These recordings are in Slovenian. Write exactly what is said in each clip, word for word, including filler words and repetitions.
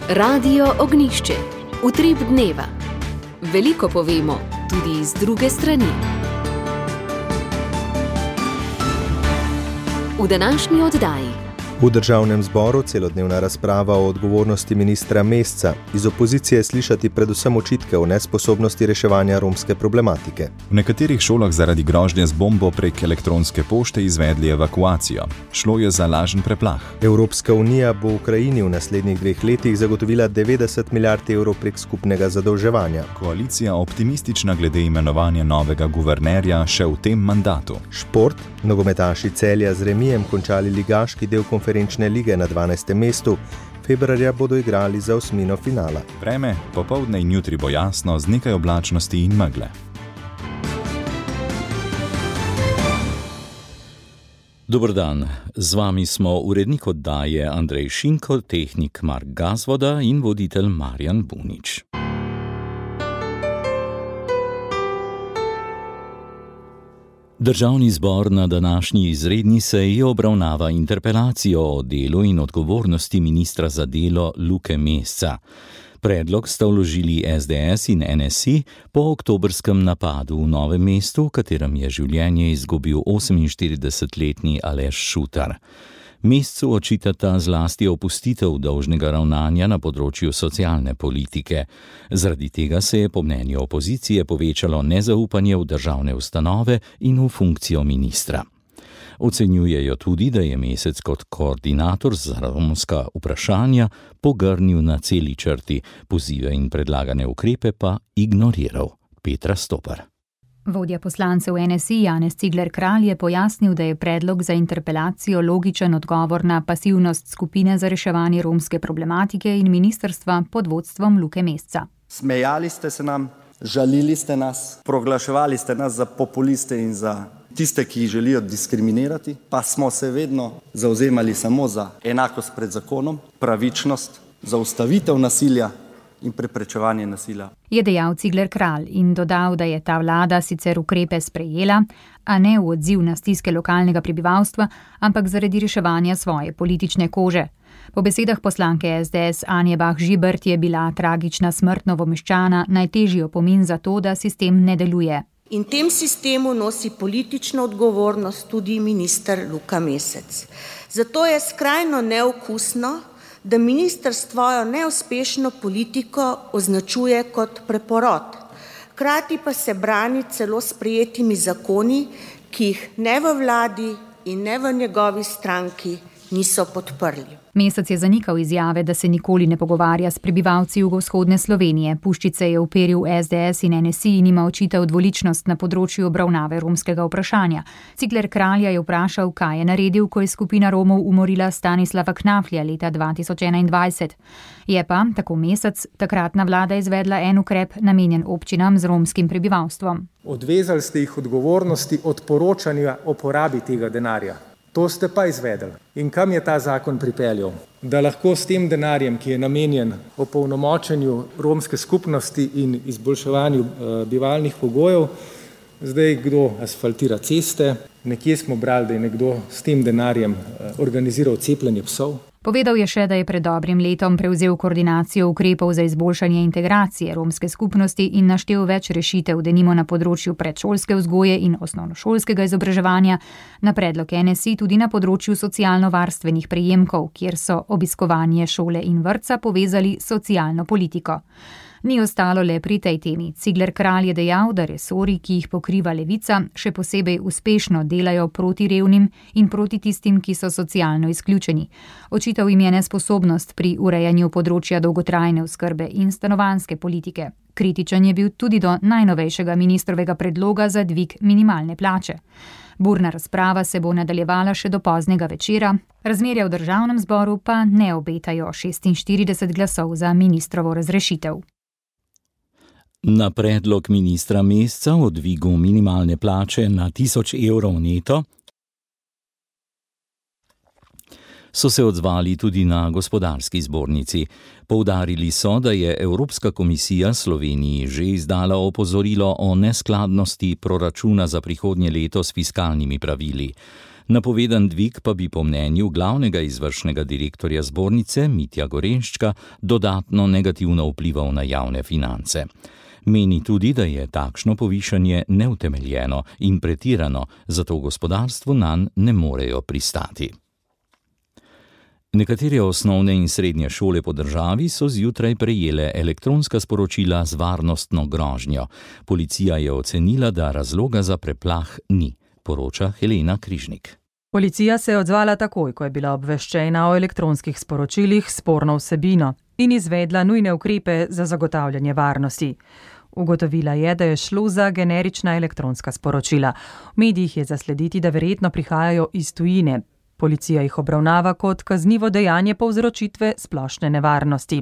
Radio Ognjišče. Utrip dneva. Veliko povemo, tudi iz druge strani. V današnji oddaji. V državnem zboru celodnevna razprava o odgovornosti ministra Mesca. Iz opozicije slišati predvsem očitke o nesposobnosti reševanja romske problematike. V nekaterih šolah zaradi grožnje z bombo prek elektronske pošte izvedli evakuacijo. Šlo je za lažen preplah. Evropska unija bo Ukrajini v naslednjih dveh letih zagotovila devetdeset milijard evrov prek skupnega zadolževanja. Koalicija optimistična glede imenovanja novega guvernerja še v tem mandatu. Šport. Nogometaši Celja z remijem končali ligaški del konferenčne lige na dvanajstem mestu. Februarja bodo igrali za osmino finala. Vreme, popoldne in jutri bo jasno z nekaj oblačnosti in megle. Dober dan, z vami smo urednik oddaje Andrej Šinko, tehnik Mark Gazvoda in voditelj Marjan Bunič. Državni zbor na današnji izredni seji obravnava interpelacijo o delu in odgovornosti ministra za delo Luke Mesca. Predlog sta vložili es de es in en es i po oktobrskem napadu v Novem mestu, v katerem je življenje izgubil oseminštiridesetletni Aleš Šutar. Mescu očitata zlasti opustitev dolžnega ravnanja na področju socialne politike. Zaradi tega se je po mnenju opozicije povečalo nezaupanje v državne ustanove in v funkcijo ministra. Ocenjujejo tudi, da je Mesec kot koordinator za romska vprašanja pogrnil na celi črti, pozive in predlagane ukrepe pa ignoriral. Petra Stopar. Vodja poslancev en es i Janez Cigler Kralj je pojasnil, da je predlog za interpelacijo logičen odgovor na pasivnost skupine za reševanje romske problematike in ministrstva pod vodstvom Luke Mesca. Smejali ste se nam, žalili ste nas, proglaševali ste nas za populiste in za tiste, ki jih želijo diskriminirati, pa smo se vedno zavzemali samo za enakost pred zakonom, pravičnost, zaustavitev nasilja in preprečevanje nasilja. Je dejal Cigler Kralj in dodal, da je ta vlada sicer ukrepe sprejela, a ne v odziv na stiske lokalnega prebivalstva, ampak zaradi reševanja svoje politične kože. Po besedah poslanke es de es Anje Bah Žibert je bila tragična smrt Novomeščana najtežji opomin za to, da sistem ne deluje. In tem sistemu nosi politično odgovornost tudi minister Luka Mesec. Zato je skrajno neokusno, da minister svojo neuspešno politiko označuje kot preporod. Hkrati pa se brani celo sprejetimi zakoni, ki jih ne v vladi in ne v njegovi stranki niso podprli. Mesec je zanikal izjave, da se nikoli ne pogovarja s prebivalci jugovzhodne Slovenije. Puščice je uperil es de es in en es i in ima očital dvoličnost na področju obravnave romskega vprašanja. Cigler Kralja je vprašal, kaj je naredil, ko je skupina Romov umorila Stanislava Knaflja leta dva tisoč enaindvajset. Je pa, tako Mesec, takratna vlada izvedla en ukrep namenjen občinam z romskim prebivalstvom. Odvezali ste jih odgovornosti od poročanja o porabi tega denarja. To ste pa izvedeli. In kam je ta zakon pripeljal? Da lahko s tem denarjem, ki je namenjen opolnomočenju romske skupnosti in izboljševanju uh, bivalnih pogojev, zdaj kdo asfaltira ceste, nekje smo brali, da je nekdo s tem denarjem uh, organiziral cepljenje psov. Povedal je še, da je pred dobrim letom prevzel koordinacijo ukrepov za izboljšanje integracije romske skupnosti in naštel več rešitev, denimo na področju predšolske vzgoje in osnovnošolskega izobraževanja, na predlog en es i tudi na področju socialno-varstvenih prejemkov, kjer so obiskovanje šole in vrtca povezali s socialno politiko. Ni ostalo le pri tej temi. Cigler Kralj je dejal, da resorji, ki jih pokriva Levica, še posebej uspešno delajo proti revnim in proti tistim, ki so socialno izključeni. Očital jim je nesposobnost pri urejanju področja dolgotrajne oskrbe in stanovanjske politike. Kritičen je bil tudi do najnovejšega ministrovega predloga za dvig minimalne plače. Burna razprava se bo nadaljevala še do poznega večera, razmerja v državnem zboru pa ne obetajo šestinštirideset glasov za ministrovo razrešitev. Na predlog ministra Mesca o dvigu minimalne plače na tisoč evrov neto so se odzvali tudi na gospodarski zbornici. Poudarili so, da je Evropska komisija Sloveniji že izdala opozorilo o neskladnosti proračuna za prihodnje leto s fiskalnimi pravili. Napovedan dvig pa bi po mnenju glavnega izvršnega direktorja zbornice Mitja Gorenščka dodatno negativno vplival na javne finance. Meni tudi, da je takšno povišanje neutemeljeno in pretirano, zato v gospodarstvu nanj ne morejo pristati. Nekatere osnovne in srednje šole po državi so zjutraj prejele elektronska sporočila z varnostno grožnjo. Policija je ocenila, da razloga za preplah ni, poroča Helena Križnik. Policija se je odzvala takoj, ko je bila obveščena o elektronskih sporočilih s sporno vsebino in izvedla nujne ukrepe za zagotavljanje varnosti. Ugotovila je, da je šlo za generična elektronska sporočila. V medijih je zaslediti, da verjetno prihajajo iz tujine. Policija jih obravnava kot kaznivo dejanje povzročitve splošne nevarnosti.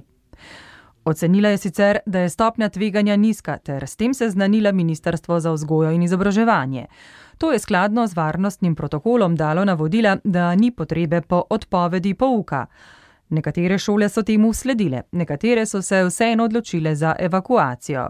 Ocenila je sicer, da je stopnja tveganja nizka, ter s tem seznanila Ministrstvo za vzgojo in izobraževanje. To je skladno z varnostnim protokolom dalo navodila, da ni potrebe po odpovedi pouka. Nekatere šole so temu sledile, nekatere so se vseeno odločile za evakuacijo.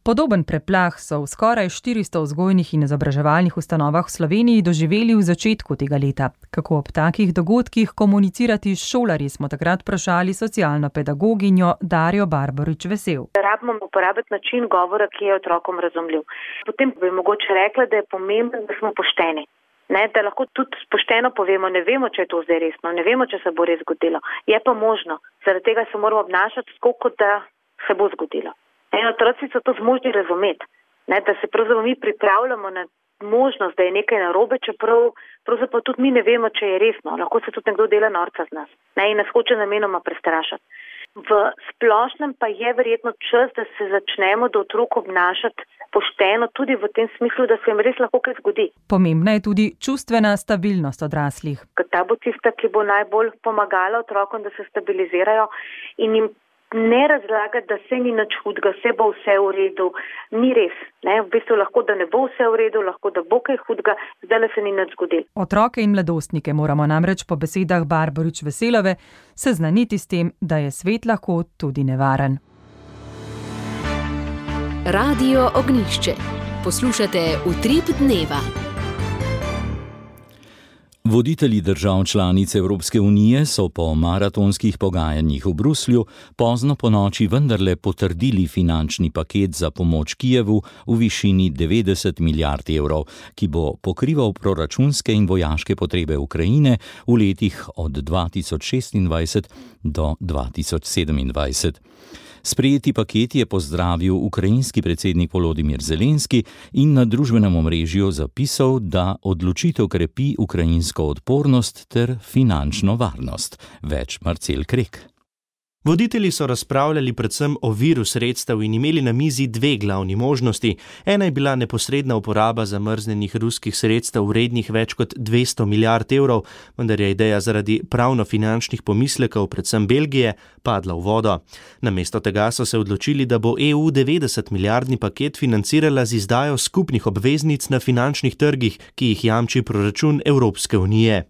Podoben preplah so v skoraj štiristo vzgojnih in izobraževalnih ustanovah v Sloveniji doživeli v začetku tega leta. Kako ob takih dogodkih komunicirati s šolarji, smo takrat vprašali socialno pedagoginjo Darjo Barbarič Vesel. Rabimo uporabiti način govora, ki je otrokom razumljiv. Potem bi mogoče rekla, da je pomembno, da smo pošteni. Ne, da lahko tudi pošteno povemo, ne vemo, če je to zdaj resno, ne vemo, če se bo res zgodilo. Je pa možno, zaradi tega se moramo obnašati tako, kot da se bo zgodilo. En otroci so to zmožni razumeti, ne, da se pravzaprav mi pripravljamo na možnost, da je nekaj narobe, čeprav pravzaprav tudi mi ne vemo, če je resno. Lahko se tudi nekdo dela norca z nas, ne, in nas hoče namenoma prestrašati. V splošnem pa je verjetno čas, da se začnemo do otrok obnašati pošteno, tudi v tem smislu, da se jim res lahko kaj zgodi. Pomembna je tudi čustvena stabilnost odraslih. Ta bo tista, ki bo najbolj pomagala otrokom, da se stabilizirajo in jim ne razlagati, da se ni nič hudega, vse bo vse v redu. Ni res. Ne? V bistvu lahko, da ne bo vse v redu, lahko, da bo kaj hudega, zdaj se ni nič zgodilo. Otroke in mladostnike moramo namreč po besedah Barbarič Veselove seznaniti s tem, da je svet lahko tudi nevaren. Radio Ognjišče. Poslušate Utrip dneva. Voditelji držav članic Evropske unije so po maratonskih pogajanjih v Bruslju pozno ponoči vendarle potrdili finančni paket za pomoč Kijevu v višini devetdeset milijard evrov, ki bo pokrival proračunske in vojaške potrebe Ukrajine v letih od dva tisoč šestindvajset do dva tisoč sedemindvajset. Sprejeti paket je pozdravil ukrajinski predsednik Volodimir Zelenski in na družbenem omrežju zapisal, da odločitev krepi ukrajinsko odpornost ter finančno varnost. Več Marcel Krek. Voditelji so razpravljali predvsem o viru sredstev in imeli na mizi dve glavni možnosti. Ena je bila neposredna uporaba zamrznjenih ruskih sredstev vrednih več kot dvesto milijard evrov, vendar je ideja zaradi pravno-finančnih pomislekov, predvsem Belgije, padla v vodo. Namesto tega so se odločili, da bo E U devetdeset milijardni paket financirala z izdajo skupnih obveznic na finančnih trgih, ki jih jamči proračun Evropske unije.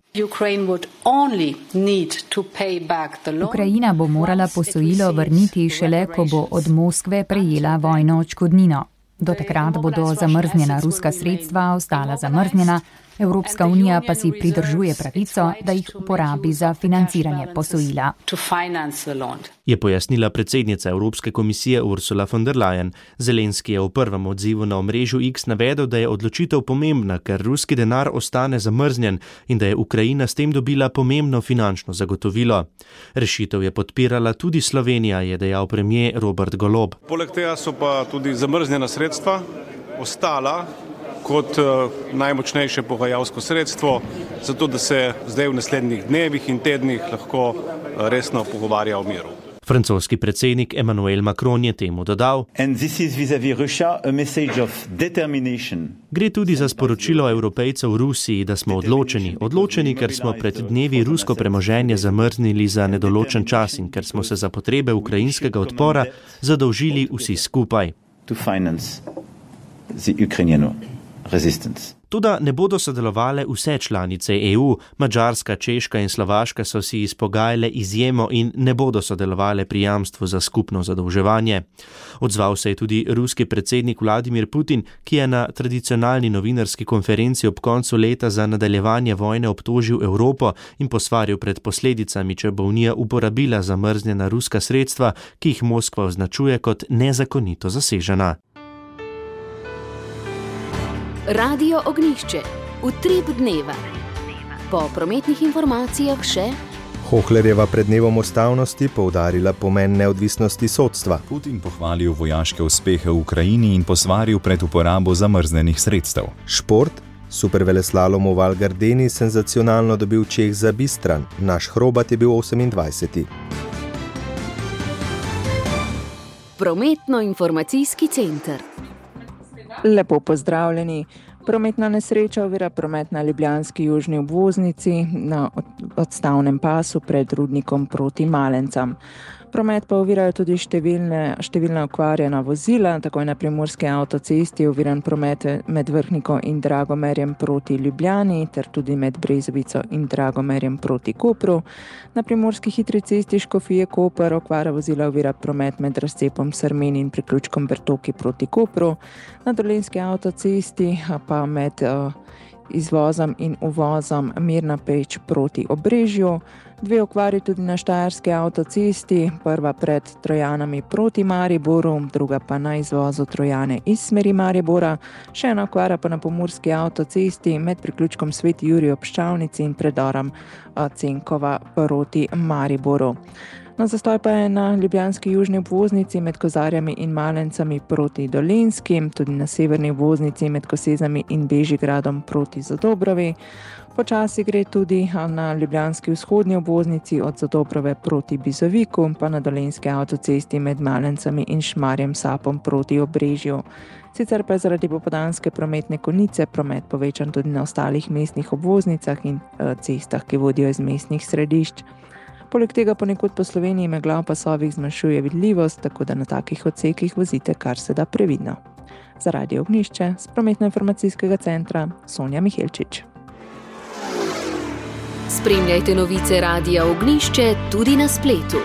Ukrajina bo morala posojilo vrniti šele, ko bo od Moskve prejela vojno odškodnino. Do takrat bodo zamrznjena ruska sredstva ostala zamrznjena, Evropska unija pa si pridržuje pravico, da jih uporabi za financiranje posojila. Je pojasnila predsednica Evropske komisije Ursula von der Leyen. Zelenski je v prvem odzivu na omrežju X navedel, da je odločitev pomembna, ker ruski denar ostane zamrznjen in da je Ukrajina s tem dobila pomembno finančno zagotovilo. Rešitev je podpirala tudi Slovenija, je dejal premier Robert Golob. Poleg tega so pa tudi zamrznjena sredstva ostala kot najmočnejše pogajalsko sredstvo, zato da se zdaj v naslednjih dnevih in tednih lahko resno pogovarja o miru. Francoski predsednik Emmanuel Macron je temu dodal: Gre tudi za sporočilo Evropejcev Rusiji, da smo odločeni. Odločeni, ker smo pred dnevi rusko premoženje zamrznili za nedoločen čas in ker smo se za potrebe ukrajinskega odpora zadolžili vsi skupaj. Toda ne bodo sodelovale vse članice E U, Madžarska, Češka in Slovaška so si izpogajale izjemo in ne bodo sodelovale pri jamstvu za skupno zadolževanje. Odzval se je tudi ruski predsednik Vladimir Putin, ki je na tradicionalni novinarski konferenci ob koncu leta za nadaljevanje vojne obtožil Evropo in posvaril pred posledicami, če bo Unija uporabila zamrznjena ruska sredstva, ki jih Moskva označuje kot nezakonito zasežena. Radio Ognjišče. Utrip dneva. Po prometnih informacijah še Hohlerjeva pred dnevom ustavnosti poudarila pomen neodvisnosti sodstva. Putin pohvalil vojaške uspehe v Ukrajini in posvaril pred uporabo zamrznenih sredstev. Šport. Superveleslalom v Val Gardeni senzacionalno dobil Čeh za Bistran. Naš Hrobat je bil osemindvajseti. Prometno-informacijski center. Lepo pozdravljeni. Prometna nesreča ovira promet na ljubljanski južni obvoznici na odstavnem pasu pred Rudnikom proti Malencam. Promet pa ovirajo tudi številne, številna okvarjena vozila, tako je na primorski avtocesti oviran promet med Vrhniko in Dragomerjem proti Ljubljani, ter tudi med Brezovico in Dragomerjem proti Kopru. Na primorski hitri cesti Škofije Koper okvara vozila ovira promet med razcepom Srmen in priključkom Bertoki proti Kopru. Na dolenjski avtocesti pa med uh, izvozom in uvozom Mirna Peč proti Obrežju. Dve okvari tudi na štajerski avtocesti, prva pred Trojanami proti Mariboru, druga pa na izvozu Trojane iz smeri Maribora, še ena okvara pa na pomurski avtocesti med priključkom Sveti Jurij ob Ščavnici in predorom Cenkova proti Mariboru. No, zastoj pa je na ljubljanski južni obvoznici med Kozarjami in Malencami proti Dolenjski, tudi na severni obvoznici med Kosezami in Bežigradom proti Zadobrovi. Počasi gre tudi na ljubljanski vzhodni obvoznici od Zadobrove proti Bizoviku, pa na dolenjski avtocesti med Malencami in Šmarjem Sapom proti Obrežju. Sicer pa je zaradi popoldanske prometne konice promet povečan tudi na ostalih mestnih obvoznicah in cestah, ki vodijo iz mestnih središč. Poleg tega ponekod po Sloveniji megla v pasovih zmanjšuje vidljivost, tako da na takih odsekih vozite kar se da previdno. Za Radio Ognjišče z prometno-informacijskega centra Sonja Mihelčič. Spremljajte novice Radia Ognjišče tudi na spletu.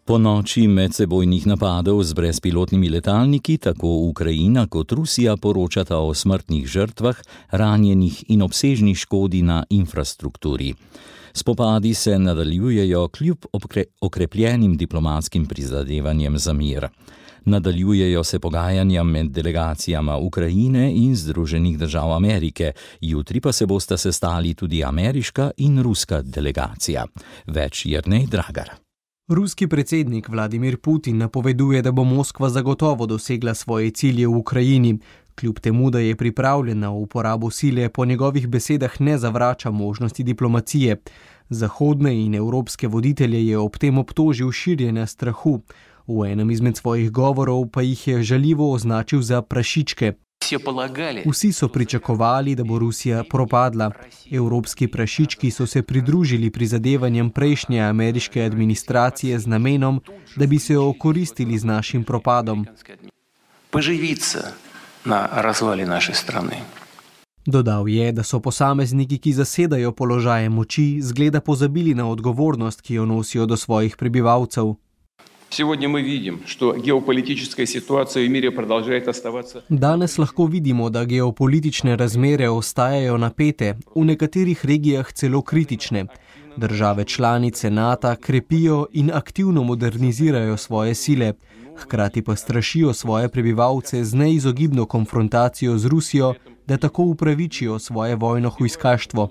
Po noči medsebojnih napadov z brezpilotnimi letalniki tako Ukrajina kot Rusija poročata o smrtnih žrtvah, ranjenih in obsežni škodi na infrastrukturi. Spopadi se nadaljujejo kljub okrepljenim diplomatskim prizadevanjem za mir. Nadaljujejo se pogajanja med delegacijama Ukrajine in Združenih držav Amerike, jutri pa se bosta sestali tudi ameriška in ruska delegacija. Več Jernej Dragar. Ruski predsednik Vladimir Putin napoveduje, da bo Moskva zagotovo dosegla svoje cilje v Ukrajini. Kljub temu, da je pripravljena v uporabo sile, po njegovih besedah ne zavrača možnosti diplomacije. Zahodne in evropske voditelje je ob tem obtožil širjenja strahu. V enem izmed svojih govorov pa jih je žaljivo označil za prašičke. Vsi so pričakovali, da bo Rusija propadla. Evropski prašički so se pridružili prizadevanjem prejšnje ameriške administracije z namenom, da bi se okoristili z našim propadom. Dodal je, da so posamezniki, ki zasedajo položaje moči, zgleda pozabili na odgovornost, ki jo nosijo do svojih prebivalcev. Danes lahko vidimo, da geopolitične razmere ostajajo napete, v nekaterih regijah celo kritične. Države članice NATO krepijo in aktivno modernizirajo svoje sile, hkrati pa strašijo svoje prebivalce z neizogibno konfrontacijo z Rusijo, da tako upravičijo svoje vojno hujskaštvo.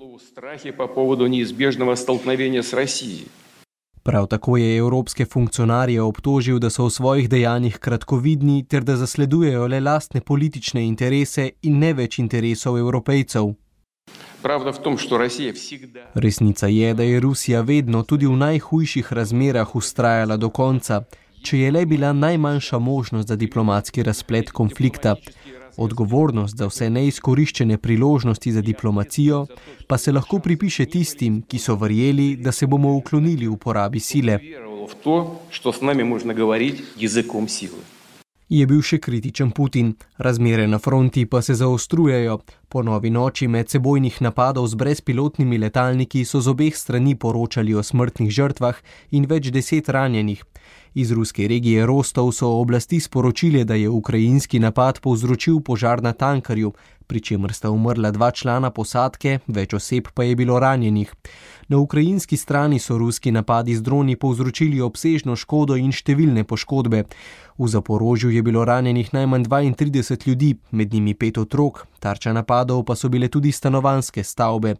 Prav tako je evropske funkcionarje obtožil, da so v svojih dejanjih kratkovidni ter da zasledujejo le lastne politične interese in ne več interesov Evropejcev. Resnica je, da je Rusija vedno tudi v najhujših razmerah vztrajala do konca, če je le bila najmanjša možnost za diplomatski razplet konflikta. Odgovornost za vse neizkoriščene priložnosti za diplomacijo pa se lahko pripiše tistim, ki so verjeli, da se bomo uklonili uporabi sile. Je bil še kritičen Putin. Razmere na fronti pa se zaostrujejo. Po novi noči medsebojnih napadov z brezpilotnimi letalniki so z obeh strani poročali o smrtnih žrtvah in več deset ranjenih. Iz ruske regije Rostov so oblasti sporočile, da je ukrajinski napad povzročil požar na tankerju, pri čemer sta umrla dva člana posadke, več oseb pa je bilo ranjenih. Na ukrajinski strani so ruski napadi z droni povzročili obsežno škodo in številne poškodbe. V Zaporožju je bilo ranjenih najmanj dvaintrideset ljudi, med njimi pet otrok, tarča napadov pa so bile tudi stanovanjske stavbe.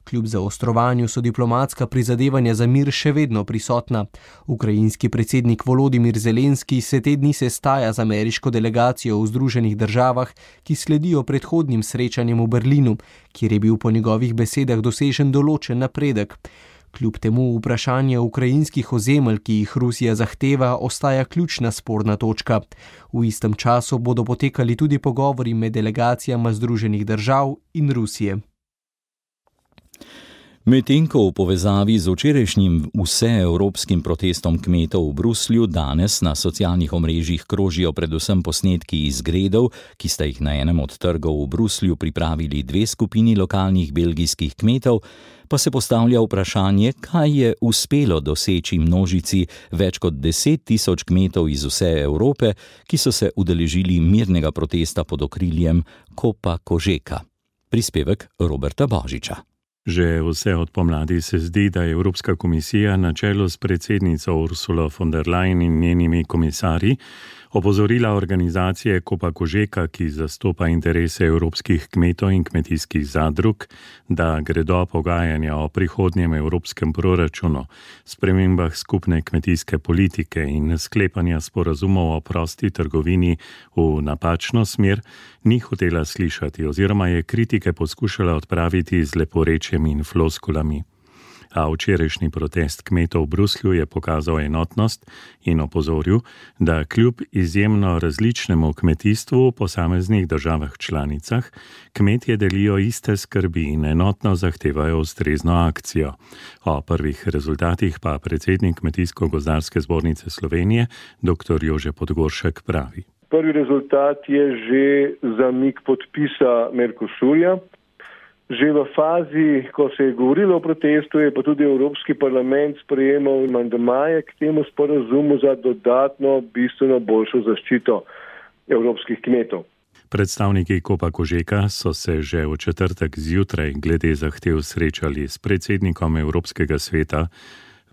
Kljub zaostrovanju so diplomatska prizadevanja za mir še vedno prisotna. Ukrajinski predsednik Volodimir Zelenski se te dni sestaja z ameriško delegacijo v Združenih državah, ki sledijo predhodnim srečanjem v Berlinu, kjer je bil po njegovih besedah dosežen določen napredek. Kljub temu vprašanje ukrajinskih ozemelj, ki jih Rusija zahteva, ostaja ključna sporna točka. V istem času bodo potekali tudi pogovori med delegacijama Združenih držav in Rusije. Medtem ko v povezavi z včerajšnjim vseevropskim protestom kmetov v Bruslju danes na socialnih omrežjih krožijo predvsem posnetki izgredov, ki sta jih na enem od trgov v Bruslju pripravili dve skupini lokalnih belgijskih kmetov, pa se postavlja vprašanje, kaj je uspelo doseči množici več kot deset tisoč kmetov iz vse Evrope, ki so se udeležili mirnega protesta pod okriljem Copa Cogeca. Prispevek Roberta Božiča. Že vse od pomladi se zdi, da je Evropska komisija na čelu s predsednico Ursulo von der Leyen in njenimi komisarji opozorila organizacije Copa Cogeca, ki zastopa interese evropskih kmetov in kmetijskih zadrug, da gredo pogajanja o prihodnjem evropskem proračunu, spremembah skupne kmetijske politike in sklepanja sporazumov o prosti trgovini v napačno smer, ni hotela slišati oziroma je kritike poskušala odpraviti z leporečjem in floskulami. A včerajšnji protest kmetov v Bruslju je pokazal enotnost in opozoril, da kljub izjemno različnemu kmetijstvu v posameznih državah članicah, kmetje delijo iste skrbi in enotno zahtevajo ustrezno akcijo. O prvih rezultatih pa predsednik Kmetijsko-gozdarske zbornice Slovenije, dr. Jože Podgoršek, pravi. Prvi rezultat je že zamik podpisa Mercosurja. Že v fazi, ko se je govorilo o protestu, je pa tudi Evropski parlament sprejemal amandmaje k temu sporazumu za dodatno, bistveno boljšo zaščito evropskih kmetov. Predstavniki Copa Cogeca so se že v četrtek zjutraj glede zahtev srečali s predsednikom Evropskega sveta,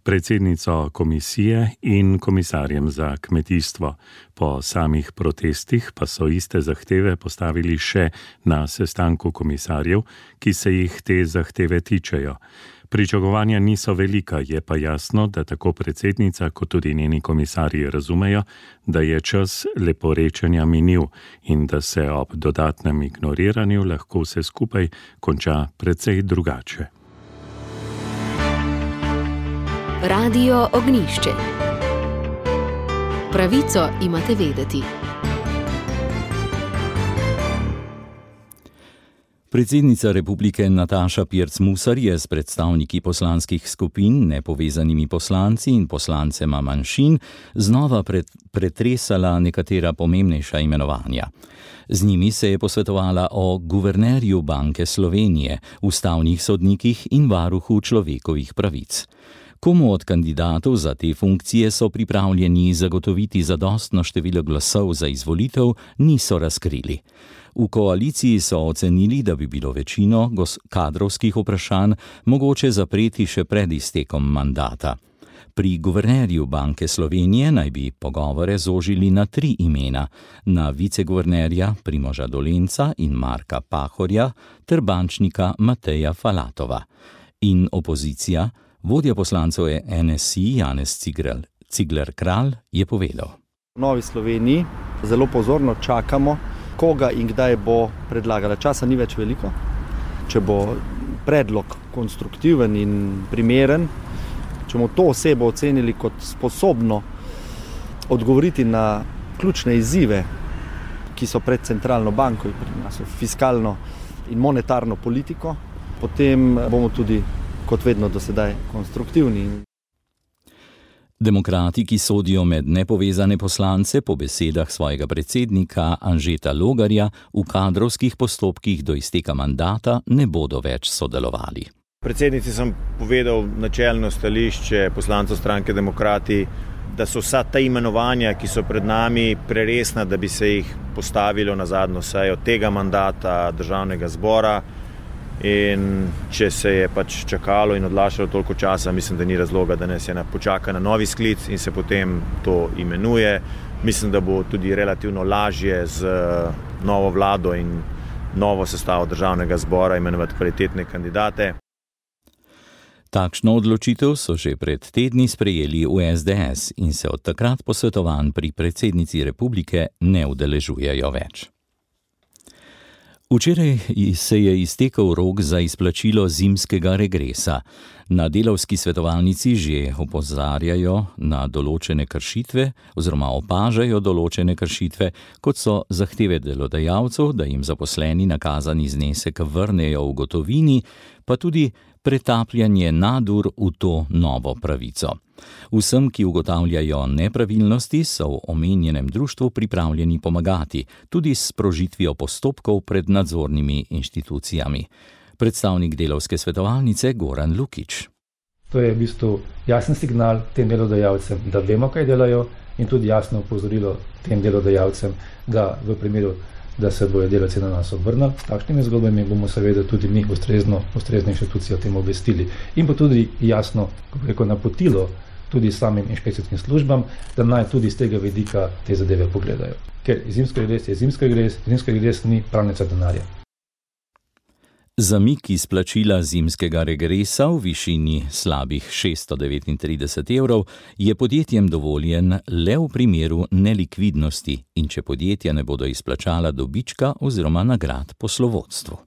predsednico komisije in komisarjem za kmetijstvo. Po samih protestih pa so iste zahteve postavili še na sestanku komisarjev, ki se jih te zahteve tičejo. Pričakovanja niso velika, je pa jasno, da tako predsednica kot tudi njeni komisarji razumejo, da je čas leporečenja minil in da se ob dodatnem ignoriranju lahko vse skupaj konča precej drugače. Radio Ognjišče. Pravico imate vedeti. Predsednica republike Nataša Pirc Musar je s predstavniki poslanskih skupin, nepovezanimi poslanci in poslancema manjšin znova pretresala nekatera pomembnejša imenovanja. Z njimi se je posvetovala o guvernerju Banke Slovenije, ustavnih sodnikih in varuhu človekovih pravic. Komu od kandidatov za te funkcije so pripravljeni zagotoviti zadostno število glasov za izvolitev, niso razkrili. V koaliciji so ocenili, da bi bilo večino kadrovskih vprašanj mogoče zapreti še pred iztekom mandata. Pri guvernerju Banke Slovenije naj bi pogovore zožili na tri imena, na viceguvernerja Primoža Dolenca in Marka Pahorja ter bančnika Mateja Falatova. In opozicija, vodja poslancev N S I Janez Cigler Kralj, je povedal. V Novi Sloveniji zelo pozorno čakamo, koga in kdaj bo predlagala. Časa ni več veliko. Če bo predlog konstruktiven in primeren, če bomo to osebo ocenili kot sposobno odgovoriti na ključne izzive, ki so pred centralno banko, pri nas fiskalno in monetarno politiko, potem bomo tudi kot vedno do sedaj konstruktivni. Demokrati, ki sodijo med nepovezane poslance, po besedah svojega predsednika Anžeta Logarja v kadrovskih postopkih do izteka mandata ne bodo več sodelovali. Predsednici sem povedal načelno stališče poslancev stranke Demokrati, da so vsa ta imenovanja, ki so pred nami, preresna, da bi se jih postavilo na zadnjo sejo tega mandata Državnega zbora. In če se je pač čakalo in odlašalo toliko časa, mislim, da ni razloga, da nas je počaka na novi sklic in se potem to imenuje. Mislim, da bo tudi relativno lažje z novo vlado in novo sestavo Državnega zbora imenovati kvalitetne kandidate. Takšno odločitev so že pred tedni sprejeli v es de es in se od takrat posvetovanj pri predsednici republike ne udeležujejo več. Včeraj se je iztekel rok za izplačilo zimskega regresa. Na delavski svetovalnici že opozarjajo na določene kršitve oziroma opažajo določene kršitve, kot so zahteve delodajalcev, da jim zaposleni nakazani znesek vrnejo v gotovini, pa tudi pretapljanje nadur v to novo pravico. Vsem, ki ugotavljajo nepravilnosti, so v omenjenem društvu pripravljeni pomagati, tudi s sprožitvijo postopkov pred nadzornimi inštitucijami. Predstavnik delavske svetovalnice Goran Lukič. To je v bistvu jasen signal tem delodajalcem, da vemo, kaj delajo, in tudi jasno opozorilo tem delodajalcem, da v primeru, da se bojo delavci na nas obrnili, s takšnimi zgodbami bomo seveda tudi mi ustrezno, ustrezne inštitucije o tem obvestili. In pa tudi jasno, kako rekel, napotilo tudi samim inšpekcijskim službam, da naj tudi z tega vidika te zadeve pogledajo. Ker zimski regres je zimski regres, zimski regres ni pravnica denarja. Zamik izplačila zimskega regresa v višini slabih šeststo devetintrideset evrov je podjetjem dovoljen le v primeru nelikvidnosti in če podjetja ne bodo izplačala dobička oziroma nagrad poslovodstvu.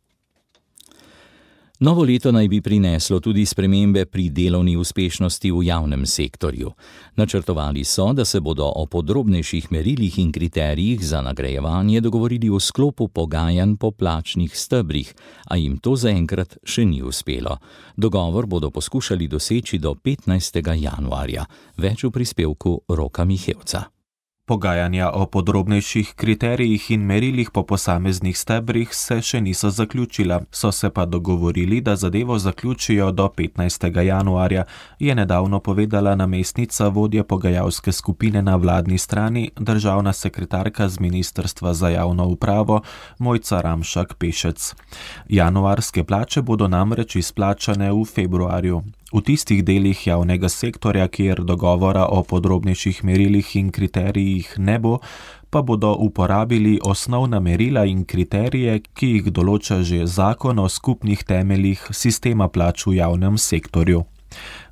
Novo leto naj bi prineslo tudi spremembe pri delovni uspešnosti v javnem sektorju. Načrtovali so, da se bodo o podrobnejših merilih in kriterijih za nagrajevanje dogovorili v sklopu pogajanj po plačnih stebrih, a jim to zaenkrat še ni uspelo. Dogovor bodo poskušali doseči do petnajstega januarja. Več v prispevku Roka Mihevca. Pogajanja o podrobnejših kriterijih in merilih po posameznih stebrih se še niso zaključila, so se pa dogovorili, da zadevo zaključijo do petnajstega januarja, je nedavno povedala namestnica vodje pogajalske skupine na vladni strani, državna sekretarka z Ministrstva za javno upravo Mojca Ramšak Pešec. Januarske plače bodo namreč izplačane v februarju. V tistih delih javnega sektorja, kjer dogovora o podrobnejših merilih in kriterijih ne bo, pa bodo uporabili osnovna merila in kriterije, ki jih določa že zakon o skupnih temeljih sistema plač v javnem sektorju.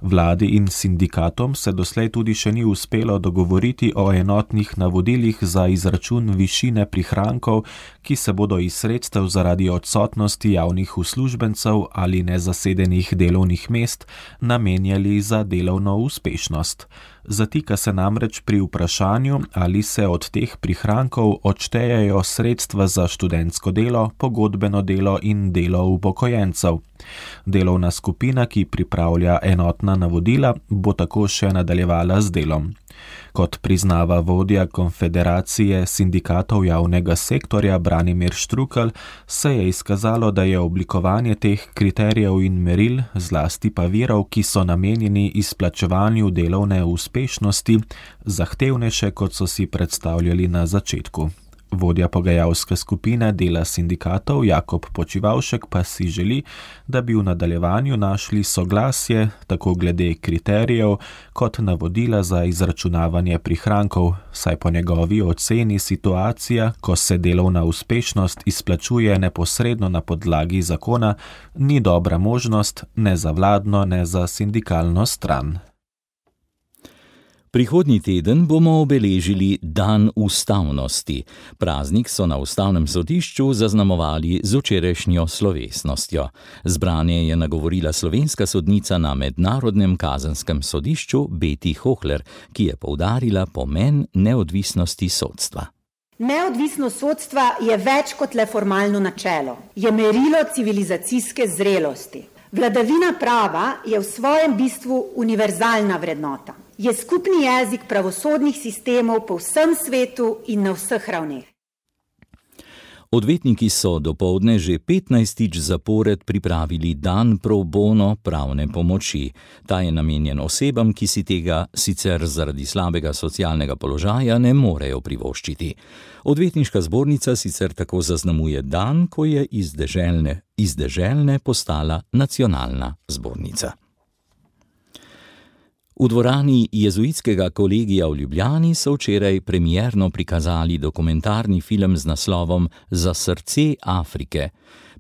Vladi in sindikatom se doslej tudi še ni uspelo dogovoriti o enotnih navodilih za izračun višine prihrankov, ki se bodo iz sredstev zaradi odsotnosti javnih uslužbencev ali nezasedenih delovnih mest namenjali za delovno uspešnost. Zatika se namreč pri vprašanju, ali se od teh prihrankov odštejejo sredstva za študentsko delo, pogodbeno delo in delo upokojencev. Delovna skupina, ki pripravlja enotna navodila, bo tako še nadaljevala z delom. Kot priznava vodja Konfederacije sindikatov javnega sektorja Branimir Štrukelj, se je izkazalo, da je oblikovanje teh kriterijev in meril, zlasti pa virov, ki so namenjeni izplačevanju delovne uspešnosti, zahtevnejše, kot so si predstavljali na začetku. Vodja pogajalske skupine dela sindikatov Jakob Počivavšek pa si želi, da bi v nadaljevanju našli soglasje tako glede kriterijev kot navodila za izračunavanje prihrankov, saj po njegovi oceni situacija, ko se delovna uspešnost izplačuje neposredno na podlagi zakona, ni dobra možnost ne za vladno, ne za sindikalno stran. Prihodnji teden bomo obeležili Dan ustavnosti. Praznik so na ustavnem sodišču zaznamovali z včerajšnjo slovesnostjo. Zbranje je nagovorila slovenska sodnica na Mednarodnem kazenskem sodišču Beti Hohler, ki je poudarila pomen neodvisnosti sodstva. Neodvisnost sodstva je več kot le formalno načelo. Je merilo civilizacijske zrelosti. Vladavina prava je v svojem bistvu univerzalna vrednota. je skupni jezik pravosodnih sistemov po vsem svetu in na vseh ravneh. Odvetniki so dopoldne že petnajstič zapored pripravili dan pro bono pravne pomoči. Ta je namenjen osebam, ki si tega sicer zaradi slabega socialnega položaja ne morejo privoščiti. Odvetniška zbornica sicer tako zaznamuje dan, ko je iz deželne, iz deželne postala nacionalna zbornica. V dvorani Jezuitskega kolegija v Ljubljani so včeraj premierno prikazali dokumentarni film z naslovom Za srce Afrike.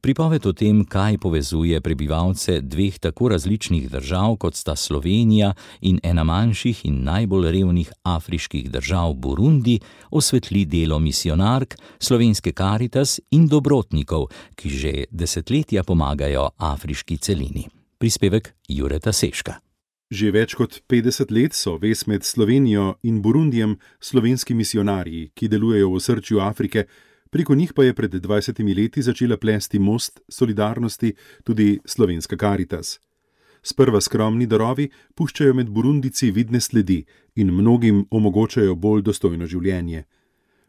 Pripoved o tem, kaj povezuje prebivalce dveh tako različnih držav, kot sta Slovenija in ena manjših in najbolj revnih afriških držav Burundi, osvetli delo misionark, slovenske Karitas in dobrotnikov, ki že desetletja pomagajo afriški celini. Prispevek Jureta Seška. Že več kot petdeset let so vez med Slovenijo in Burundijem slovenski misionarji, ki delujejo v osrčju Afrike, preko njih pa je pred dvajsetimi leti začela plesti most solidarnosti tudi slovenska Karitas. Sprva skromni darovi puščajo med Burundici vidne sledi in mnogim omogočajo bolj dostojno življenje.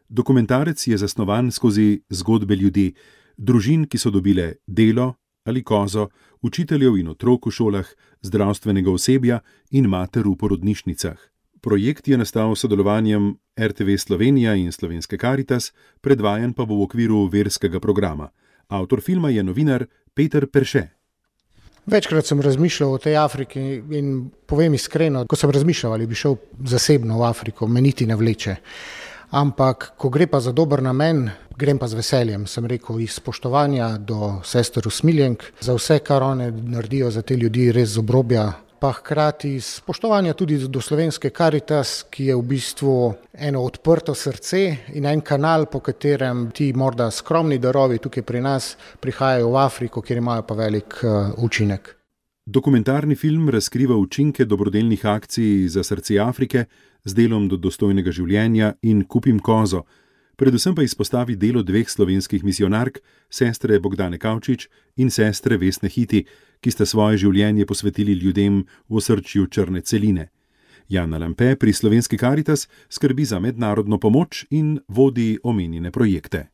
Dokumentarec je zasnovan skozi zgodbe ljudi, družin, ki so dobile delo ali kozo, učiteljev in otrok v šolah, zdravstvenega osebja in mater v porodnišnicah. Projekt je nastal s sodelovanjem er te ve Slovenija in slovenske Karitas, predvajan pa bo v okviru verskega programa. Avtor filma je novinar Peter Perše. Večkrat sem razmišljal o tej Afriki in povem iskreno, ko sem razmišljal, ali bi šel zasebno v Afriko, me niti ne vleče. Ampak, ko gre pa za dober namen, grem pa z veseljem, sem rekel, iz spoštovanja do sester usmiljenk, za vse, kar one naredijo za te ljudi, res z obrobja, pa hkrati spoštovanja tudi do slovenske Karitas, ki je v bistvu eno odprto srce in en kanal, po katerem ti morda skromni darovi tukaj pri nas prihajajo v Afriko, kjer imajo pa velik uh, učinek. Dokumentarni film razkriva učinke dobrodelnih akcij za srce Afrike z delom do dostojnega življenja in Kupim kozo, predvsem pa izpostavi delo dveh slovenskih misionark, sestre Bogdane Kavčič in sestre Vesne Hiti, ki sta svoje življenje posvetili ljudem v osrčju črne celine. Jana Lampe pri slovenski Karitas skrbi za mednarodno pomoč in vodi omenjene projekte.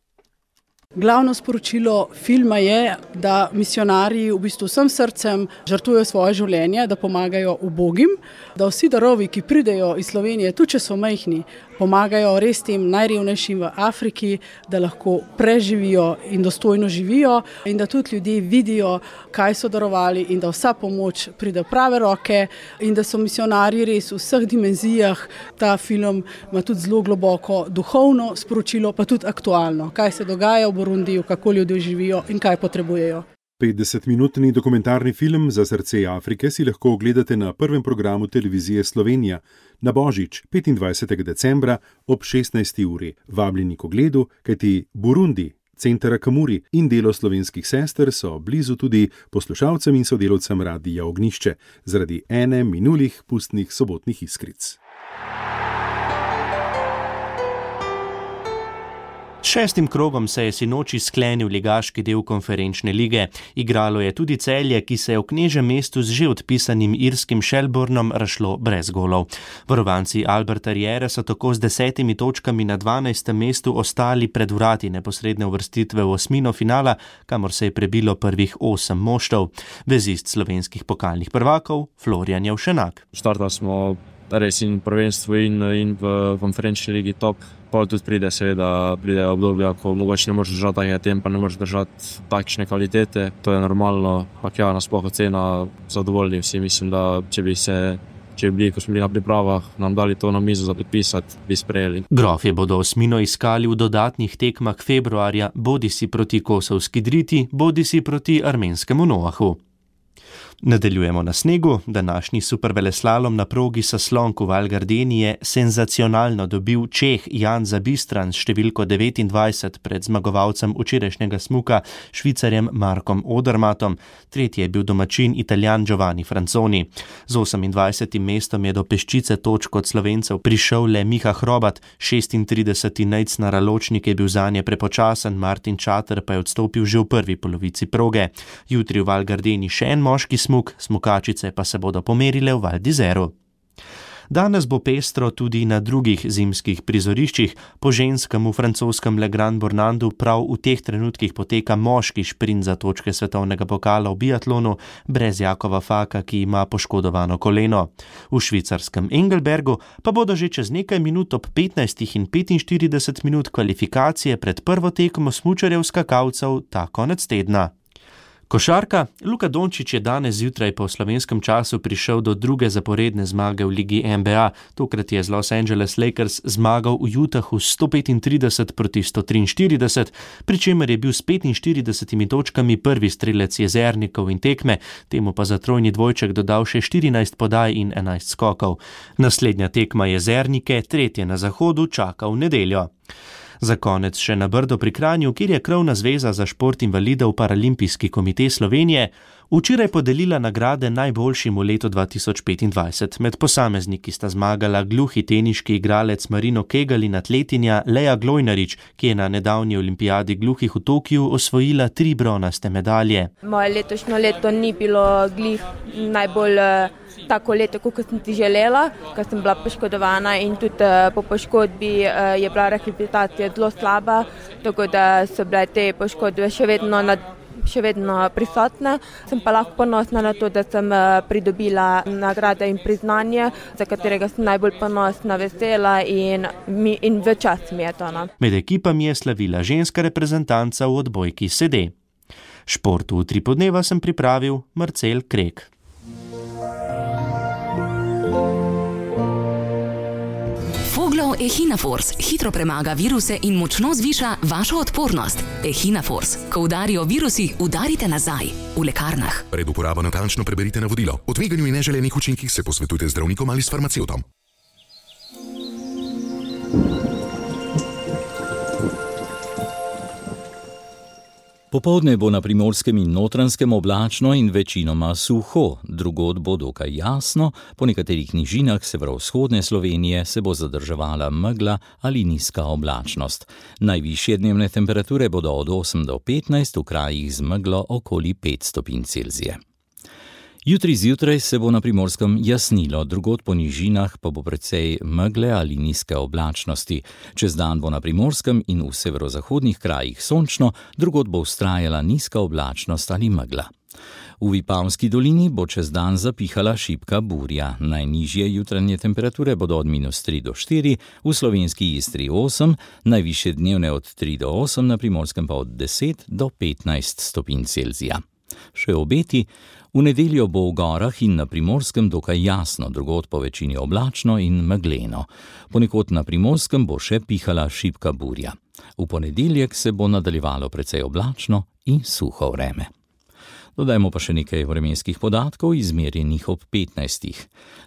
Glavno sporočilo filma je, da misionarji v bistvu vsem srcem žrtvujejo svoje življenje, da pomagajo ubogim, da vsi darovi, ki pridejo iz Slovenije, tudi če so majhni, pomagajo res tem najrevnejšim v Afriki, da lahko preživijo in dostojno živijo in da tudi ljudje vidijo, kaj so darovali in da vsa pomoč pride v prave roke in da so misionarji res v vseh dimenzijah. Ta film ima tudi zelo globoko duhovno sporočilo, pa tudi aktualno, kaj se dogaja v Burundiju, kako ljudje živijo in kaj potrebujejo. petdesetminutni dokumentarni film Za srce Afrike si lahko ogledate na prvem programu televizije Slovenija na Božič petindvajsetega decembra ob šestnajsti uri. Vabljeni k ogledu, kajti Burundi, Center Akamuri in delo slovenskih sester so blizu tudi poslušalcem in sodelavcem Radia Ognjišče zaradi ene minulih pustnih sobotnih iskric. Šestim krogom se je sinoči sklenil ligaški del konferenčne lige. Igralo je tudi Celje, ki se je v knežjem mestu z že odpisanim irskim Shelbournom razšlo brez golov. Varovanci Alberta Riere so tako z desetimi točkami na dvanajstem mestu ostali pred vrati neposredne uvrstitve v osmino finala, kamor se je prebilo prvih osem moštev. Vezist slovenskih pokalnih prvakov Florjan Jevšenak. Štartali smo res in prvenstvo in, in v konferenčni ligi top. Pa tudi pride seveda, pride obdobja, ko mogoče ne moreš držati takega tempa, ne moreš držati takšne kvalitete. To je normalno, pak ja, nasploh ocena zadovoljni vsi. Mislim, da če bi se, če bi bili, ko smo bili na pripravah, nam dali to na mizo za podpisati, bi sprejeli. Grofje bodo osmino iskali v dodatnih tekmah februarja, bodisi proti Kosovski Driti, bodisi proti armenskemu Noahu. Nadaljujemo na snegu. Današnji superveleslalom na progi Saslonk v Val Gardeni je senzacionalno dobil Čeh Jan Zabistran s številko devetindvajset pred zmagovalcem včerajšnjega smuka Švicarjem Markom Odermatom. Tretji je bil domačin Italijan Giovanni Franzoni. Z osemindvajsetim mestom je do peščice točk od Slovencev prišel le Miha Hrobat, šestintrideseti Nejc na Raločnik je bil zanje prepočasen, Martin Čater pa je odstopil že v prvi polovici proge. Jutri v Val Gardeni še en moški smuk, smukačice pa se bodo pomerile v Val d'Isère. Danes bo pestro tudi na drugih zimskih prizoriščih. Po ženskem v francoskem Le Grand Bornandu prav v teh trenutkih poteka moški šprint za točke svetovnega pokala v biatlonu brez Jakova Faka, ki ima poškodovano koleno. V švicarskem Engelbergu pa bodo že čez nekaj minut ob petnajstih in petinštirideset minut kvalifikacije pred prvo tekmo smučarjev skakalcev ta konec tedna. Košarka. Luka Dončić je danes zjutraj po slovenskem času prišel do druge zaporedne zmage v ligi N B A. Tokrat je z Los Angeles Lakers zmagal v Utahu sto petintrideset proti sto triinštirideset, pri čemer je bil s petinštiridesetimi točkami prvi strelec jezernikov in tekme, temu pa za trojni dvojček dodal še štirinajst podaj in enajst skokov. Naslednja tekma jezernike, tretje na zahodu, čaka v nedeljo. Za konec še na Brdo pri Kranju, kjer je Krovna zveza za šport invalidov Paralimpijski komite Slovenije včeraj podelila nagrade najboljšim v letu dva tisoč petindvajset. Med posamezniki sta zmagala gluhi teniški igralec Marino Kegelj in atletinja Leja Glojnarič, ki je na nedavni olimpijadi gluhih v Tokiu osvojila tri bronaste medalje. Moje letošnjo leto ni bilo glih najbolj tako leto, kot sem ti želela, ker sem bila poškodovana in tudi po poškodbi je bila rehabilitacija zelo slaba, tako da so bile te poškodbe še vedno, nad, še vedno prisotne. Sem pa lahko ponosna na to, da sem pridobila nagrade in priznanje, za katerega sem najbolj ponosna, vesela in, mi, in v čast mi je to. No. Med ekipami je slavila ženska reprezentanca v odbojki sede. Športu v Tripodneva sem pripravil Marcel Krek. Foglov Echinafors hitro premaga viruse in močno zviša vašo odpornost. Echinafors. Ko udarijo virusi, udarite nazaj. V lekarnah. Pred uporabo natančno preberite navodilo. O tveganju in neželenih učinkih se posvetujte z zdravnikom ali s farmacevtom. Popoldne bo na Primorskem in Notranjskem oblačno in večinoma suho, drugod bo dokaj jasno, po nekaterih nižinah severovzhodne Slovenije se bo zadrževala megla ali nizka oblačnost. Najvišje dnevne temperature bodo od osem do petnajst, v krajih z meglo okoli pet stopinj Celzija. Jutri zjutraj se bo na Primorskem jasnilo, drugod po nižinah pa bo precej megle ali nizke oblačnosti. Čez dan bo na Primorskem in v severozahodnih krajih sončno, drugod bo vztrajala nizka oblačnost ali megla. V Vipavski dolini bo čez dan zapihala šibka burja. Najnižje jutranje temperature bodo od minus tri do štiri, v slovenski Istri osem, najvišje dnevne od tri do osem, na Primorskem pa od deset do petnajst stopinj Celzija. Še obeti. V nedeljo bo v gorah in na Primorskem dokaj jasno, drugod po večini oblačno in megleno. Ponekod na Primorskem bo še pihala šibka burja. V ponedeljek se bo nadaljevalo precej oblačno in suho vreme. Dodajmo pa še nekaj vremenskih podatkov, izmerjenih ob petnajstih.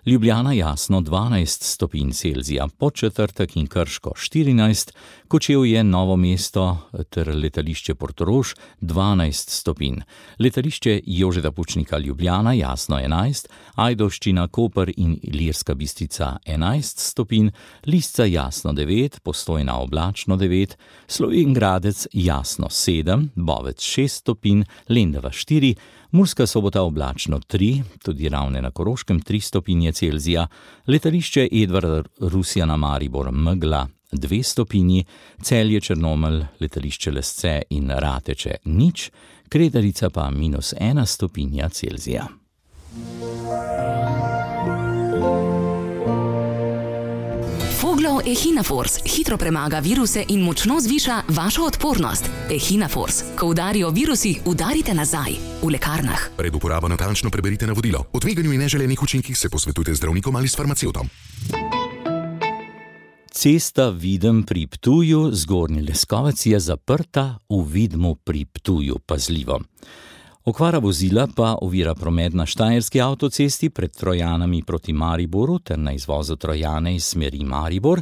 Ljubljana jasno dvanajst stopinj Celzija, Podčetrtek in Krško štirinajst, Kočevje, Novo mesto ter letališče Portorož dvanajst stopinj. Letališče Jožeta Pučnika Ljubljana jasno enajst, Ajdovščina, Koper in Ilirska Bistrica enajst stopinj, Lisca jasno devet, Postojna oblačno devet, Slovenj Gradec jasno sedem, Bovec šest stopinj, Lendava štiri, Murska Sobota oblačno tri, tudi Ravne na Koroškem tri stopinje Celzija, letališče Edvard Rusjana Maribor megla dve stopinji, Celje Črnomelj, letališče Lesce in Rateče nič, Kredarica pa minus ena stopinja Celzija. Foglov Echinafors hitro premaga viruse in močno zviša vašo odpornost. Echinafors. Ko udarijo virusi, udarite nazaj. V lekarnah. Pred uporabo natančno preberite navodilo. O tveganju in neželenih učinkih se posvetujte z zdravnikom ali s farmacevtom. Cesta Videm pri Ptuju, Zgornji Leskovec je zaprta, v Vidmu pri Ptuju pazljivo. Okvara vozila pa ovira promet na Štajerski avtocesti pred Trojanami proti Mariboru ter na izvozu Trojane iz smeri Maribor,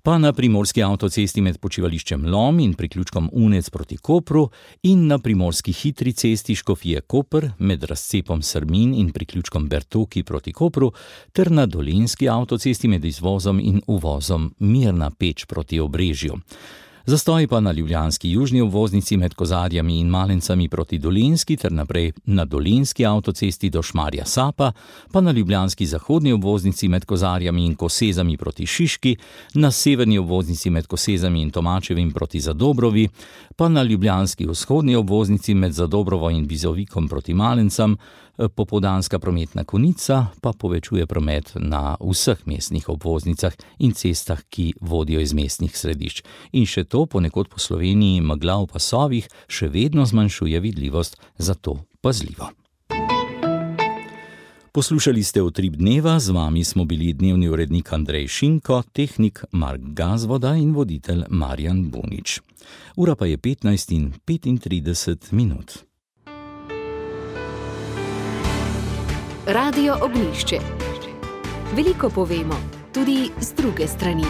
pa na Primorski avtocesti med počivališčem Lom in priključkom Unec proti Kopru in na Primorski hitri cesti Škofije Koper med razcepom Srmin in priključkom Bertoki proti Kopru ter na Dolenjski avtocesti med izvozom in uvozom Mirna Peč proti Obrežju. Zastoj pa na ljubljanski južni obvoznici med Kozarjami in Malencami proti Dolenjski ter naprej na Dolenjski avtocesti do Šmarja Sapa, pa na ljubljanski zahodni obvoznici med Kozarjami in Kosezami proti Šiški, na severni obvoznici med Kosezami in Tomačevim proti Zadobrovi, pa na ljubljanski vzhodni obvoznici med Zadobrovo in Bizovikom proti Malencam. Popoldanska prometna konica pa povečuje promet na vseh mestnih obvoznicah in cestah, ki vodijo iz mestnih središč. In še to ponekod po Sloveniji megla v pasovih še vedno zmanjšuje vidljivost, zato pazljivo. Poslušali ste Utrip dneva, z vami smo bili dnevni urednik Andrej Šinko, tehnik Mark Gazvoda in voditelj Marjan Bunič. Ura pa je petnajst in petintrideset minut. Radio Ognjišče. Veliko povemo, tudi z druge strani.